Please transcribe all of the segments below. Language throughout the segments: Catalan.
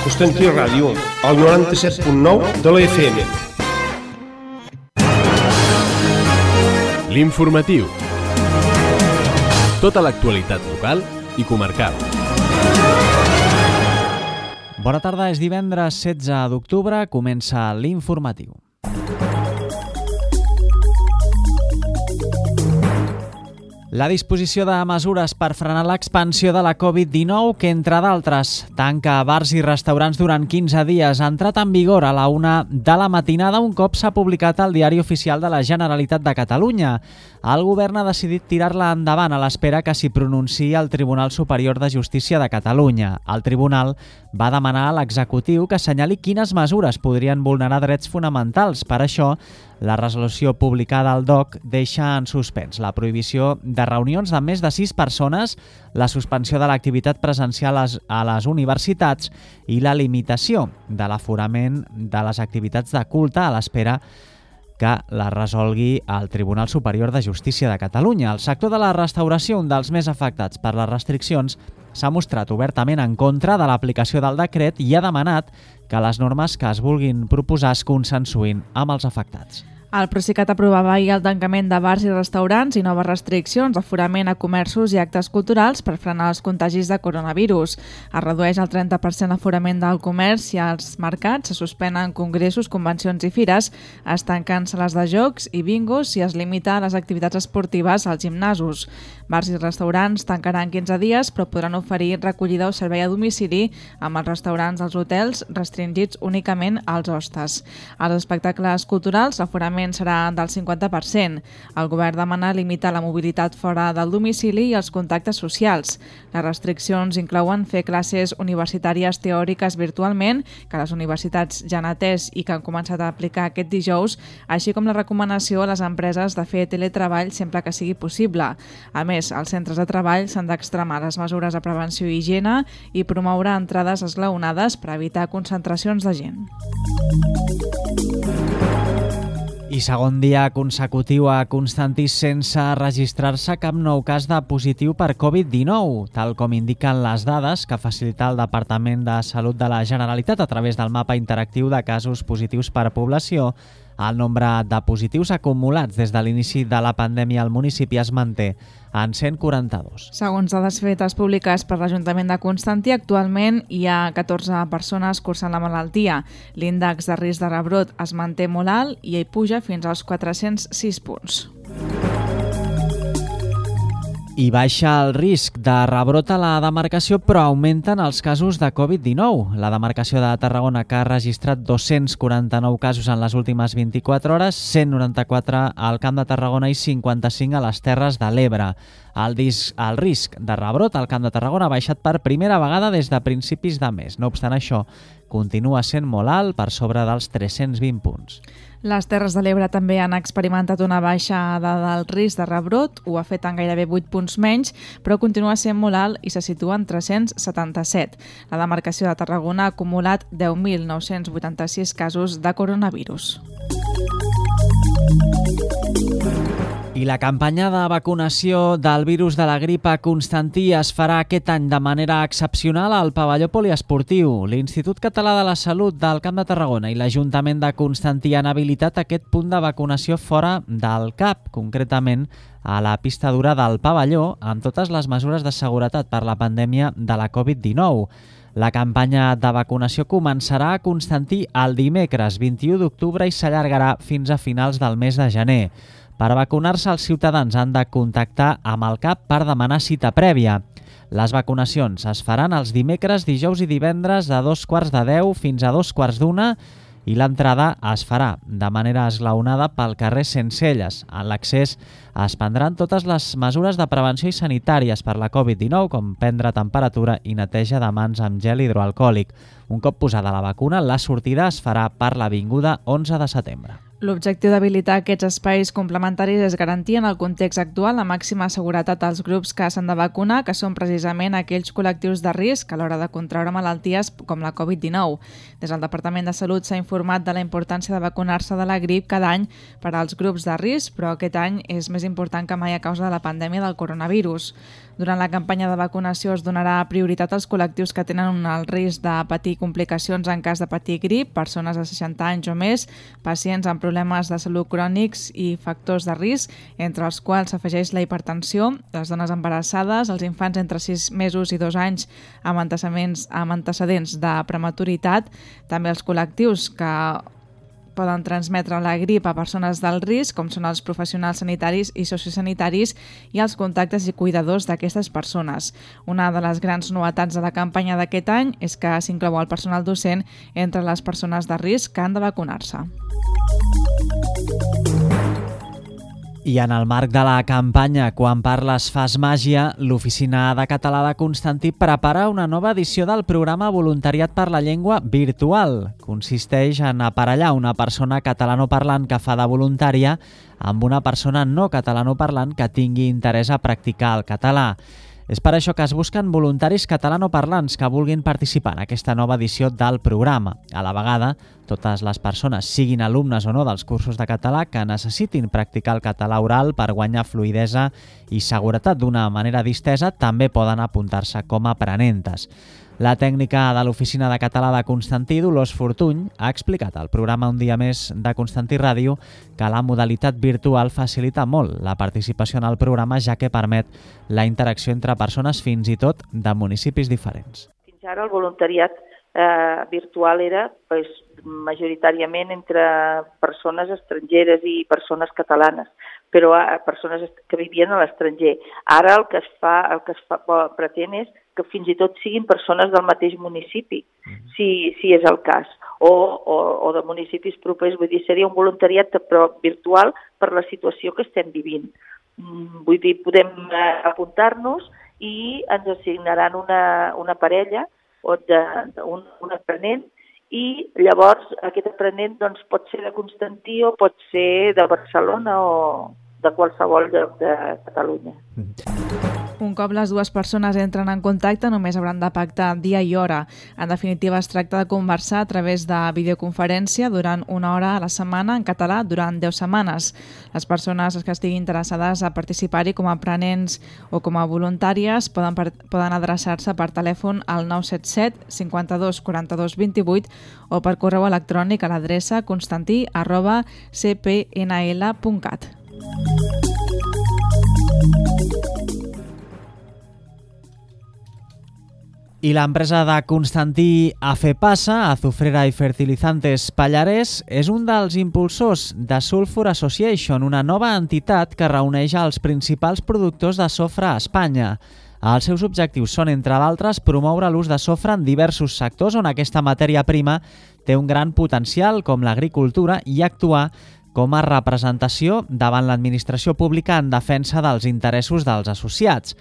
Constantí Ràdio, al 97.9 de la FM. L'informatiu. Tota l'actualitat local i comarcal. Bona tarda, és divendres 16 d'octubre, comença l'informatiu. La disposició de mesures per frenar l'expansió de la Covid-19, que entre d'altres tanca bars i restaurants durant 15 dies, ha entrat en vigor a la 1 de la matinada un cop s'ha publicat al Diari Oficial de la Generalitat de Catalunya. El govern ha decidit tirar-la endavant a l'espera que s'hi pronunciï el Tribunal Superior de Justícia de Catalunya. El tribunal va demanar a l'executiu que assenyali quines mesures podrien vulnerar drets fonamentals. Per això, la resolució publicada al DOC deixa en suspens la prohibició de reunions de més de 6 persones, la suspensió de l'activitat presencial a les universitats i la limitació de l'aforament de les activitats de culte a l'espera que la resolgui el Tribunal Superior de Justícia de Catalunya. El sector de la restauració, un dels més afectats per les restriccions, s'ha mostrat obertament en contra de l'aplicació del decret i ha demanat que les normes que es vulguin proposar es consensuïn amb els afectats. El Procicat aprovava ahir el tancament de bars i restaurants i noves restriccions d'aforament a comerços i actes culturals per frenar els contagis de coronavirus. Es redueix el 30% l'aforament del comerç i als mercats, se suspenen congressos, convencions i fires, es tanquen sales de jocs i bingos i es limita les activitats esportives als gimnasos. Bars i restaurants tancaran 15 dies, però podran oferir recollida o servei a domicili, amb els restaurants dels hotels restringits únicament als hostes. Als espectacles culturals, l'aforament serà del 50%. El govern demana limitar la mobilitat fora del domicili i els contactes socials. Les restriccions inclouen fer classes universitàries teòriques virtualment, que les universitats ja han atès i que han començat a aplicar aquest dijous, així com la recomanació a les empreses de fer teletreball sempre que sigui possible. A més, els centres de treball s'han d'extremar les mesures de prevenció i higiene i promoure entrades esglaonades per evitar concentracions de gent. I segon dia consecutiu a Constantí sense registrar-se cap nou cas de positiu per Covid-19, tal com indiquen les dades que facilita el Departament de Salut de la Generalitat a través del mapa interactiu de casos positius per població. El nombre de positius acumulats des de l'inici de la pandèmia al municipi es manté en 142. Segons dades fetes públiques per l'Ajuntament de Constantí, actualment hi ha 14 persones cursant la malaltia. L'índex de risc de rebrot es manté molt alt i hi puja fins als 406 punts. I baixa el risc de rebrot a la demarcació, però augmenten els casos de Covid-19. La demarcació de Tarragona, que ha registrat 249 casos en les últimes 24 hores, 194 al Camp de Tarragona i 55 a les Terres de l'Ebre. El risc de rebrot al Camp de Tarragona ha baixat per primera vegada des de principis de mes. No obstant això, continua sent molt alt, per sobre dels 320 punts. Les Terres de l'Ebre també han experimentat una baixada del risc de rebrot, ho ha fet en gairebé 8 punts menys, però continua sent molt alt i se situa en 377. La demarcació de Tarragona ha acumulat 10.986 casos de coronavirus. I la campanya de vacunació del virus de la grip a Constantí es farà aquest any de manera excepcional al pavelló poliesportiu. L'Institut Català de la Salut del Camp de Tarragona i l'Ajuntament de Constantí han habilitat aquest punt de vacunació fora del CAP, concretament a la pista dura del pavelló, amb totes les mesures de seguretat per la pandèmia de la Covid-19. La campanya de vacunació començarà a Constantí el dimecres 21 d'octubre i s'allargarà fins a finals del mes de gener. Per vacunar-se, els ciutadans han de contactar amb el CAP per demanar cita prèvia. Les vacunacions es faran els dimecres, dijous i divendres de 2:15 fins a 2:15 i l'entrada es farà de manera esglaonada pel carrer Sencelles. En l'accés es prendran totes les mesures de prevenció i sanitàries per la Covid-19, com prendre temperatura i neteja de mans amb gel hidroalcohòlic. Un cop posada la vacuna, la sortida es farà per l'Avinguda 11 de setembre. L'objectiu d'habilitar aquests espais complementaris és garantir en el context actual la màxima seguretat als grups que s'han de vacunar, que són precisament aquells col·lectius de risc a l'hora de contraure malalties com la Covid-19. Des del Departament de Salut s'ha informat de la importància de vacunar-se de la grip cada any per als grups de risc, però aquest any és més important que mai a causa de la pandèmia del coronavirus. Durant la campanya de vacunació es donarà prioritat als col·lectius que tenen el risc de patir complicacions en cas de patir grip, persones de 60 anys o més, pacients amb problemes de salut crònics i factors de risc, entre els quals s'afegeix la hipertensió, les dones embarassades, els infants entre 6 mesos i 2 anys amb antecedents de prematuritat, també els col·lectius que poden transmetre la grip a persones d'alt risc, com són els professionals sanitaris i sociosanitaris i els contactes i cuidadors d'aquestes persones. Una de les grans novetats de la campanya d'aquest any és que s'inclou el personal docent entre les persones de risc que han de vacunar-se. I en el marc de la campanya Quan parles fas màgia, l'Oficina de Català de Constantí prepara una nova edició del programa Voluntariat per la Llengua virtual. Consisteix en aparellar una persona catalanoparlant que fa de voluntària amb una persona no catalanoparlant que tingui interès a practicar el català. És per això que es busquen voluntaris catalanoparlants que vulguin participar en aquesta nova edició del programa. A la vegada, totes les persones, siguin alumnes o no dels cursos de català, que necessitin practicar el català oral per guanyar fluïdesa i seguretat d'una manera distesa, també poden apuntar-se com a aprenentes. La tècnica de l'Oficina de Català de Constantí, Dolors Fortuny, ha explicat al programa Un dia més de Constantí Ràdio que la modalitat virtual facilita molt la participació en el programa, ja que permet la interacció entre persones fins i tot de municipis diferents. Fins ara el voluntariat virtual era majoritàriament entre persones estrangeres i persones catalanes, però persones que vivien a l'estranger. Ara el que es pretén és que fins i tot siguin persones del mateix municipi, si és el cas, o de municipis propers. Vull dir, seria un voluntariat però virtual per la situació que estem vivint. Vull dir, podem apuntar-nos i ens assignaran una parella o un aprenent, i llavors aquest aprenent pot ser de Constantí o pot ser de Barcelona o de qualsevol lloc de Catalunya. Un cop les dues persones entren en contacte, només hauran de pactar dia i hora. En definitiva, es tracta de conversar a través de videoconferència durant 1 hora a la setmana en català durant 10 setmanes. Les persones que estiguin interessades a participar-hi com a aprenents o com a voluntàries poden adreçar-se per telèfon al 977 52 42 28 o per correu electrònic a l'adreça constantí@cpnl.cat. I l'empresa de Constantí Afepasa, Azufrera i Fertilizantes Pallarès, és un dels impulsors de Sulfur Association, una nova entitat que reuneix els principals productors de sofre a Espanya. Els seus objectius són, entre d'altres, promoure l'ús de sofre en diversos sectors on aquesta matèria prima té un gran potencial, com l'agricultura, i actuar com a representació davant l'administració pública en defensa dels interessos dels associats.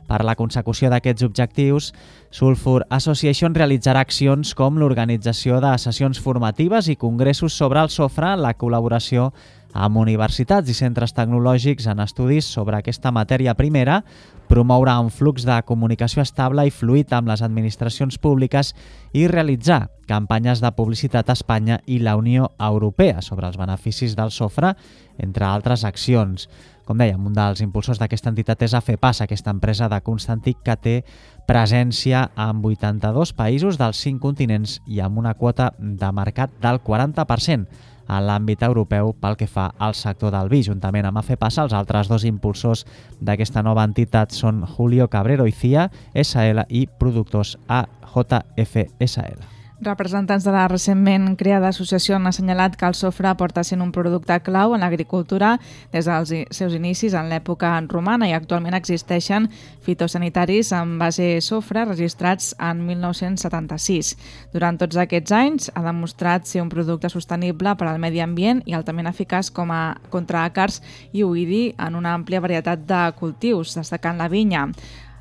Per la consecució d'aquests objectius, Sulfur Association realitzarà accions com l'organització de sessions formatives i congressos sobre el sofre, la col·laboració amb universitats i centres tecnològics en estudis sobre aquesta matèria primera, promoure un flux de comunicació estable i fluid amb les administracions públiques i realitzar campanyes de publicitat a Espanya i la Unió Europea sobre els beneficis del sofre, entre altres accions. Com dèiem, un dels impulsors d'aquesta entitat és Afepasa, aquesta empresa de Constantí que té presència en 82 països dels 5 continents i amb una quota de mercat del 40% en l'àmbit europeu pel que fa al sector del vi. Juntament amb Afepasa, els altres 2 impulsors d'aquesta nova entitat són Julio Cabrero i CIA SL i Productors AJFSL. Representants de la recentment creada associació han assenyalat que el sofre porta sent un producte clau en l'agricultura des dels seus inicis en l'època romana i actualment existeixen fitosanitaris amb base sofre registrats en 1976. Durant tots aquests anys ha demostrat ser un producte sostenible per al medi ambient i altament eficaç contra àcars i oïdi en una àmplia varietat de cultius, destacant la vinya.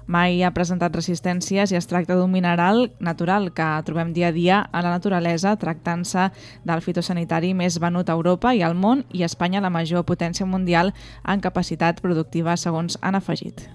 Mai ha presentat resistències i es tracta d'un mineral natural que trobem dia a dia a la naturalesa, tractant-se del fitosanitari més venut a Europa i al món, i Espanya la major potència mundial en capacitat productiva, segons han afegit.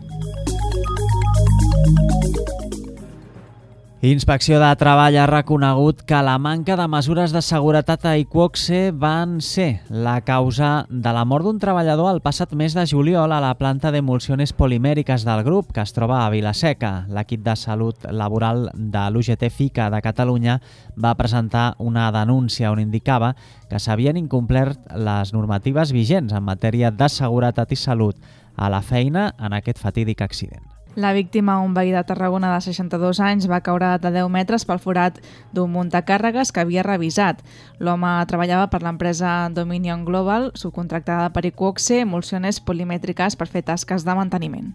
Inspecció de Treball ha reconegut que la manca de mesures de seguretat a Iqoxe van ser la causa de la mort d'un treballador el passat mes de juliol a la planta d'emulsiones polimèriques del grup, que es troba a Vila-seca. L'equip de salut laboral de l'UGT-FICA de Catalunya va presentar una denúncia on indicava que s'havien incomplert les normatives vigents en matèria de seguretat i salut a la feina en aquest fatídic accident. La víctima, un veí de Tarragona de 62 anys, va caure de 10 metres pel forat d'un muntacàrregues que havia revisat. L'home treballava per l'empresa Dominion Global, subcontractada per Iqoxe, emulsiones polimètriques per fer tasques de manteniment.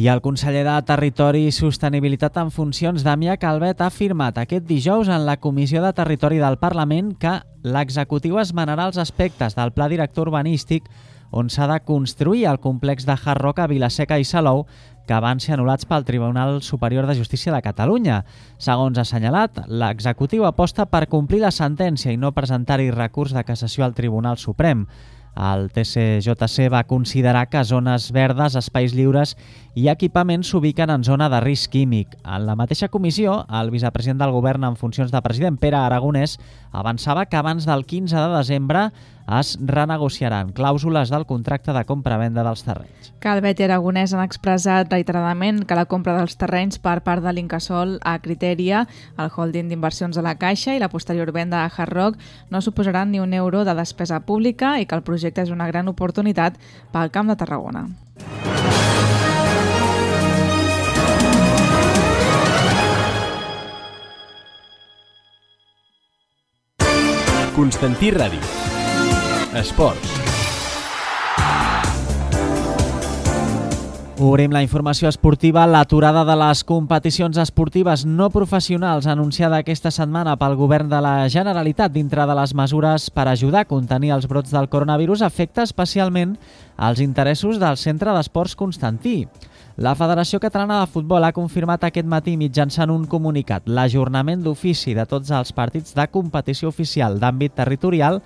I el conseller de Territori i Sostenibilitat en funcions, Damià Calvet, ha afirmat aquest dijous en la Comissió de Territori del Parlament que l'executiu esmenarà els aspectes del pla director urbanístic on s'ha de construir el complex de Hard Rock a Vila-seca i Salou, que van ser anul·lats pel Tribunal Superior de Justícia de Catalunya. Segons ha assenyalat, l'executiu aposta per complir la sentència i no presentar-hi recurs de cassació al Tribunal Suprem. El TCJC va considerar que zones verdes, espais lliures i equipaments s'ubiquen en zona de risc químic. En la mateixa comissió, el vicepresident del govern en funcions de president, Pere Aragonès, avançava que abans del 15 de desembre es renegociaran clàusules del contracte de compra-venda dels terrenys. Calvet i Aragonès han expressat reiteradament que la compra dels terrenys per part de l'Incasòl a Criteria, el holding d'inversions de la Caixa i la posterior venda a Hard Rock no suposaran ni un euro de despesa pública i que el projecte és una gran oportunitat pel Camp de Tarragona. Constantí Ràdio. Esports. Obrim la informació esportiva. L'aturada de les competicions esportives no professionals anunciada aquesta setmana pel govern de la Generalitat dintre de les mesures per ajudar a contenir els brots del coronavirus afecta especialment els interessos del Centre d'Esports Constantí. La Federació Catalana de Futbol ha confirmat aquest matí mitjançant un comunicat l'ajornament d'ofici de tots els partits de competició oficial d'àmbit territorial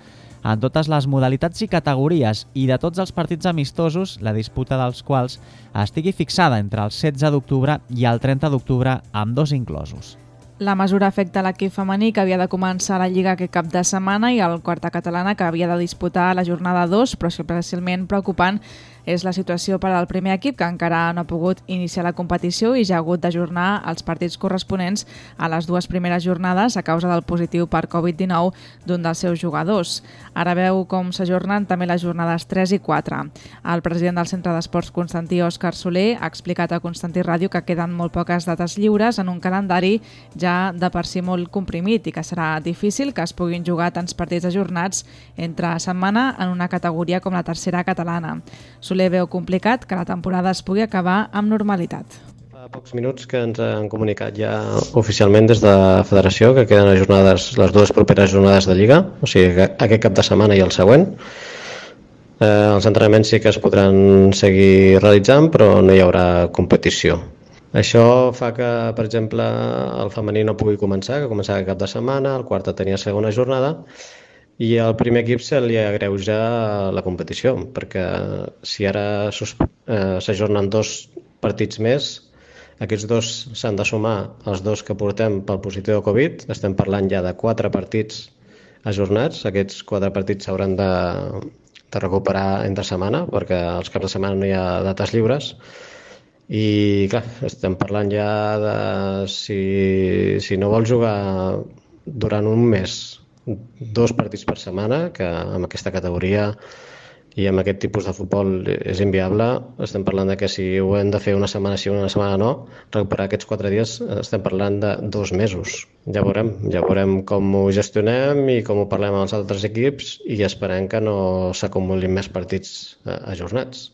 en totes les modalitats i categories i de tots els partits amistosos, la disputa dels quals estigui fixada entre el 16 d'octubre i el 30 d'octubre, amb dos inclosos. La mesura afecta l'equip femení que havia de començar la Lliga aquest cap de setmana i el Quarta Catalana que havia de disputar la jornada 2, però especialment preocupant és la situació per al primer equip, que encara no ha pogut iniciar la competició i ja ha hagut d'ajornar els partits corresponents a les dues primeres jornades a causa del positiu per Covid-19 d'un dels seus jugadors. Ara veu com s'ajornen també les jornades 3 i 4. El president del Centre d'Esports Constantí, Òscar Soler, ha explicat a Constantí Ràdio que queden molt poques dates lliures en un calendari ja de per si molt comprimit i que serà difícil que es puguin jugar tants partits ajornats entre setmana en una categoria com la tercera catalana. Soler veu complicat que la temporada es pugui acabar amb normalitat. Fa pocs minuts que ens han comunicat ja oficialment des de la Federació que queden ajornades les dues properes jornades de Lliga, o sigui aquest cap de setmana i el següent. Els entrenaments sí que es podran seguir realitzant, però no hi haurà competició. Això fa que, per exemple, el femení no pugui començar, que començava cap de setmana, el quart tenia segona jornada, i al primer equip se li agreuja la competició, perquè si ara s'ajornen dos partits més, aquests dos s'han de sumar als dos que portem pel positiu de Covid. Estem parlant ja de 4 partits ajornats. Aquests 4 partits s'hauran de recuperar entre setmana, perquè als caps de setmana no hi ha dates lliures. I clar, estem parlant ja de si no vols jugar durant un mes 2 partits per setmana, que amb aquesta categoria i amb aquest tipus de futbol és inviable. Estem parlant de que si ho hem de fer una setmana sí, una setmana no, recuperar aquests 4 dies estem parlant de 2 mesos. Ja veurem com ho gestionem i com ho parlem amb els altres equips i esperem que no s'acumulin més partits ajornats.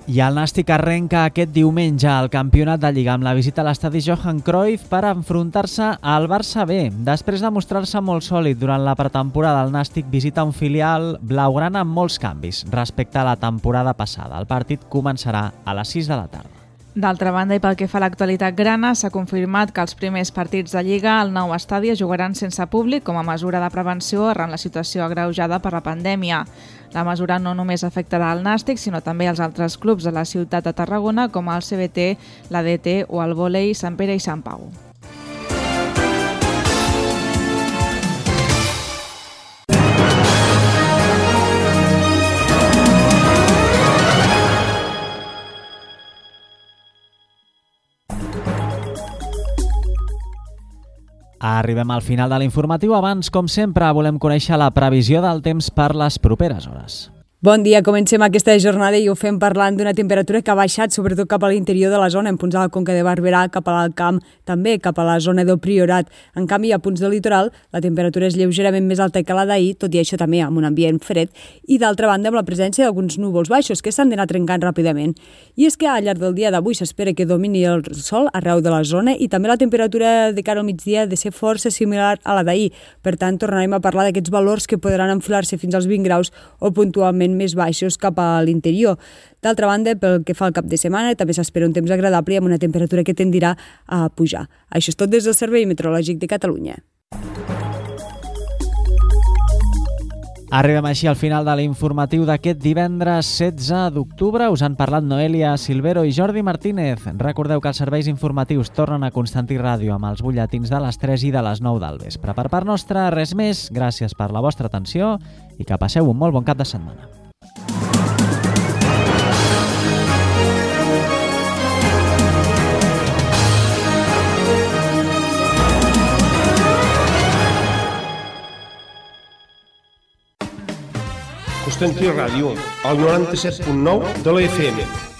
I el Nàstic arrenca aquest diumenge al campionat de Lliga amb la visita a l'estadi Johan Cruyff per enfrontar-se al Barça B. Després de mostrar-se molt sòlid durant la pretemporada, el Nàstic visita un filial blaugrana amb molts canvis respecte a la temporada passada. El partit començarà a les 6 de la tarda. D'altra banda, i pel que fa a l'actualitat grana, s'ha confirmat que els primers partits de Lliga al nou estadi es jugaran sense públic com a mesura de prevenció arran la situació agreujada per la pandèmia. La mesura no només afectarà el Nàstic, sinó també els altres clubs de la ciutat de Tarragona, com el CBT, l'ADT o el vòlei Sant Pere i Sant Pau. Arribem al final de l'informatiu. Abans, com sempre, volem conèixer la previsió del temps per les properes hores. Bon dia, comencem aquesta jornada i ho fem parlant d'una temperatura que ha baixat sobretot cap a l'interior de la zona, en punts de la Conca de Barberà, cap a l'Alt Camp, també cap a la zona del Priorat. En canvi, a punts del litoral, la temperatura és lleugerament més alta que la d'ahir, tot i això també amb un ambient fred, i d'altra banda amb la presència d'alguns núvols baixos que s'han d'anar trencant ràpidament. I és que al llarg del dia d'avui s'espera que domini el sol arreu de la zona i també la temperatura de cara al migdia ha de ser força similar a la d'ahir. Per tant, tornarem a parlar d'aquests valors que podran enfilar-se fins als 20 graus o puntualment més baixos cap a l'interior. D'altra banda, pel que fa al cap de setmana, també s'espera un temps agradable amb una temperatura que tendirà a pujar. Això és tot des del Servei Meteorològic de Catalunya. Arribem així al final de l'informatiu d'aquest divendres 16 d'octubre. Us han parlat Noelia Silvero i Jordi Martínez. Recordeu que els serveis informatius tornen a Constantí Ràdio amb els butlletins de les 3 i de les 9 del vespre. Per part nostra, res més. Gràcies per la vostra atenció i que passeu un molt bon cap de setmana. Constantí Ràdio, al 97.9 de la FM.